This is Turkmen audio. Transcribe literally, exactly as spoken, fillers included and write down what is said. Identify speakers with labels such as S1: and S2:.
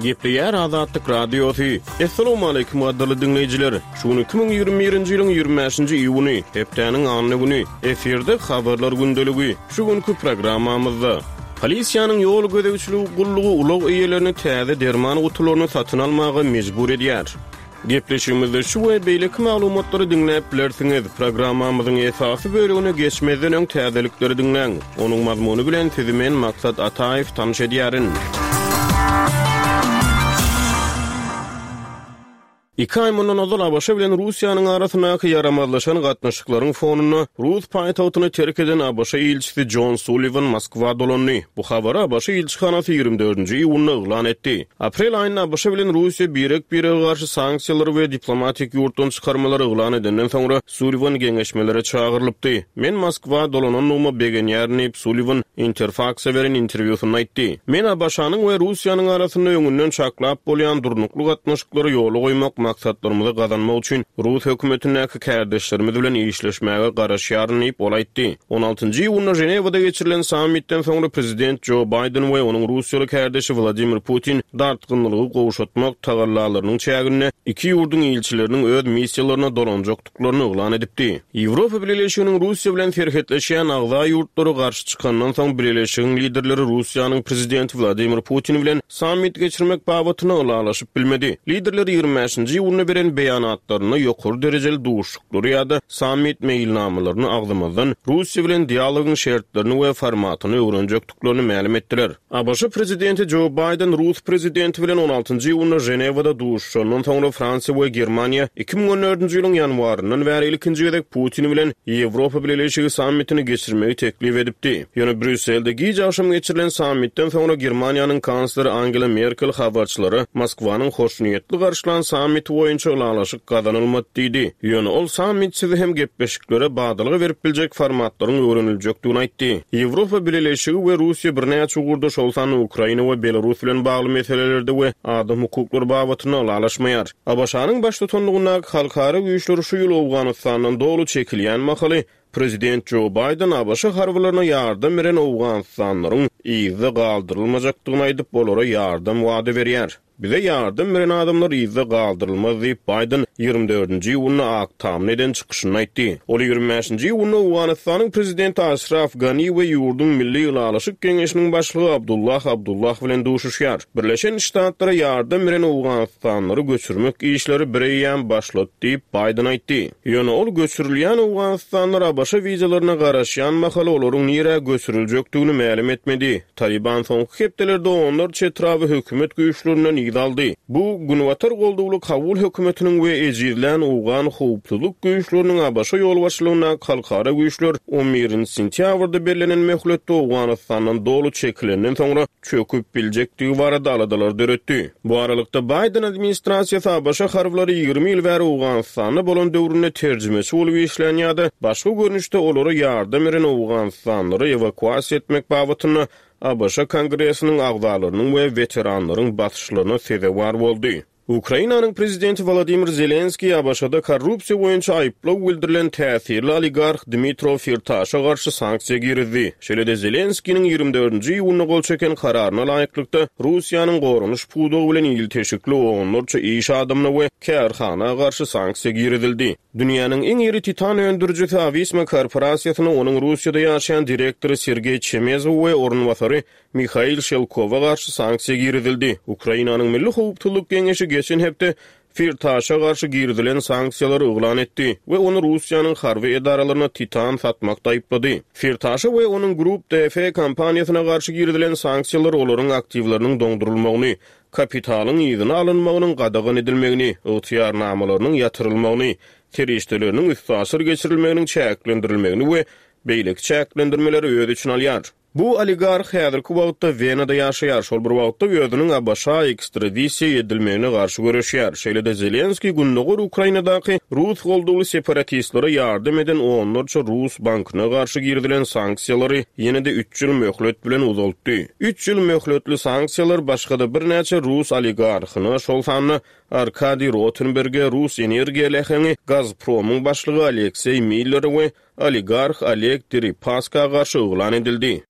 S1: Gepleýär Azatlyk Radiosy. Assalamualaikum gadyrly diňleýjiler. Şu gün iki müň ýigrimi birinji ýylyň ýigrimi bäşinji iýuny, hepdäniň anna güni. Efirde habarlar gündeligi. Şu günki programmamyzda Polisiýanyň ýol gözegçiligi gullugy ulag eýelerini täze derman gutularyny satyn almaga mejbur edýär. Gepleşigimizde şu we beýleki maglumatlary diňläp bilersiňiz. Programmamyzyň esasy bölegine geçmezden öň täzelikleri diňläň. Onuň mazmuny bilen sizi men Maksat Ataýew tanyş edýärin. Iki aý mundan ozal A B Ş bilen Russiýanyň arasyndaky ýaramazlaşan gatnaşyklaryň fonunda rus paýtagtyny terk eden A B Ş ilçisi John Sullivan Moskwa dolandy. Bu habary A B Ş ilçihanasy ýigrimi dördünji iýunda yglan etdi. Aprel aýynda A B Ş bilen Russiýa birek-birege garşy sanksiýalary we diplomatik ýurtdan çykarmalary yglan edenden soňra Sullivan geňeşmelere çagyrylypdy. Men Moskwa dolanandygyma begenýärin diýip, Sullivan Interfaxa beren interwýusynda aýtdy. Men A B Ş-nyň we Russiýanyň arasynda öňünden çaklap bolýan durnukly gatnaşyklary ýola goýmak maksatlarymyzy gazanmak üçin rus hökümetindäki kärdeşlerimiz bilen işleşmäge garaşýaryn diýip, ol aýtdy. On altynjy iýunda Ženewada geçirilen sammitden soňra prezident Jo Baýden we onuň russiýaly kärdeşi Wladimir Putin dartgynlygy gowşatmak tagallalarynyň çäginde iki ýurduň ilçileriniň öz missiýalaryna dolanjakdyklaryny yglan edipdi. Ýewropa Bileleşiginiň Russiýa bilen serhetleşýän agza ýurtlary garşy çykandan soň Bileleşigiň liderleri Russiýanyň prezidenti Wladimir Putin bilen sammit geçirmek babatynda ylalaşyp bilmedi. Liderler ýigrimi bäşinji iýunda beren beýanatlarynda ýokary derejeli duşuşyklary ýa-da sammit meýilnamalaryny agzamazdan Russiýa bilen dialogyň şertlerini we formatyny öwrenjekdiklerini mälim etdiler. A B Ş prezidenti Jo Baýden rus prezidenti bilen on altynjy iýunda Ženewada duşuşandan soňra Fransiýa we Germaniýa iki müň on dördünji ýylyň ýanwaryndan bäri ilkinji gezek Putin bilen Ýewropa Bileleşigi sammitini geçirmegi teklip edipdi. Ýöne Brýusselde giç agşam geçirilen sammitden soňra Germaniýanyň kansleri Angela Merkel habarçylara Moskwanyň hoşniýetli garşylan sammiti boýunça ylalaşyk gazanylmady diýdi. Ýöne ol sammitsiz hem gepleşiklere badalga berip biljek formatlaryň öwreniljekdigini aýtdy. Ýewropa Bileleşigi we Russiýa birnäçe ugurda, şol sanda Ukraina we Belarus bilen bagly meselelerde we adam hukuklary babatynda ylalaşmaýar. A B Ş-nyň baştutanlygyndaky halkara güýçleri şu ýyl Owganystandan doly çekilýän mahaly Prezident Jo Baýden A B Ş harbylaryna ýardam beren Owganystanlaryň yzda galdyrylmajakdygyny aýdyp, olara ýardam wada berýär. Bize ýardam beren adamlar yzda galdyrylmaz diýip, Baýden ýigrimi dördünji iýunda Ak Tamda eden çykyşynda aýtdy. Ol ýigrimi bäşinji iýunda Owganystanyň prezidenti Aşraf Gani we ýurduň Milli Ylalaşyk Geňeşiniň başlygy Abdullah Abdullah bilen duşuşýar. Birleşen Ştatlara ýardam beren Owganystanlary göçürmek işleri bireýýäm başlady diýip, Baýden aýtdy. Ýöne ol göçürilýän Owganystanlar A B Ş wizalaryna garaşýan mahaly olaryň nirä göçüriljekdigini mälim etmedi. Taliban soňky hepdelerde onlarça etraby hökümet güýçlerinden yz aldy. Bu, Günbatar goldawly Kabul hökümetiniň we ejizlän owgan howpsuzlyk güýçleriniň A B Ş ýolbaşçylygyndaky halkara güýçler on birinji sentýabrda bellenen möhletde Owganystandan doly çekilenden soňra çöküp biljekdigi barada aladalar döretdi. Bu aralykda Baýden administrasiýasy A B Ş harbylary ýigrimi ýyl bäri Owganystanda bolan döwründe terjimeçi bolup işlän ýa-da başga görnüşde olara ýardam beren Owganystanlary ewakuasiýa etmek babatynda A B Ş Kongresiniň agzalarynyň we weteranlaryň basyşlaryna sezewar boldy. Ukrainanyň prezidenti Wladimir Zelenskiý A B Ş-da korrupsiýa boýunça aýyplaw bildirilen täsirli oligarh Dmitro Firtaşa garşy sanksiýa girizdi. Şeýle-de Zelenskiniň ýigrimi dördünji iýunda gol çeken kararyna laýyklykda Russiýanyň goranyş pudagy bilen ilteşikli onlarça iş adamyna we kärhana garşy sanksiýa girizildi. Dünýäniň iň iri titan öndürijisi Avisma korporasiýasyna onuň Russiýada ýaşaýan direktory Sergeý Çemezow we orunbasary Mihail Şelkowa garşy sanksiýa girizildi. Ukrainanyň Milli howpsuzlyk geňeşi geçen hepde Firtaşa garşy girizilen sanksiýalary yglan etdi we ony Russiýanyň harby edaralaryna titan satmakda aýyplady. Firtaşa we onuň Group D F kompaniýasyna garşy girizilen sanksiýalar olaryň aktiwleriniň doňdurylmagyny, kapitalyň yzyna alynmagynyň gadagan edilmegini, ygtyýarnamalarynyň ýatyrylmagyny, serişdeleriniň üstaşyr geçirilmeginiň çäklendirilmegini we beýleki çäklendirmeleri öz içine alýar. Bu oligarh häzirki wagtda Wenada ýaşaýar, şol bir wagtda özüniň A B Ş ekstradisiýa edilmegine garşy göreşýär. Şeýle-de Zelenskiý Gündogar Ukrainadaky rus goldawly separatistlere ýardam eden onlarça rus bankyna garşy girizilen sanksiýalary ýene-de üç ýyl möhlet bilen uzaltdy. Üç ýyl möhletli sanksiýalar başga-da birnäçe rus oligarhyna, şol sanda Arkadiý Rotenberge, rus energiýa läheňi Gazpromyň başlygy Alekseý Millere we oligarh Oleg Deripaska garşy yglan edildi.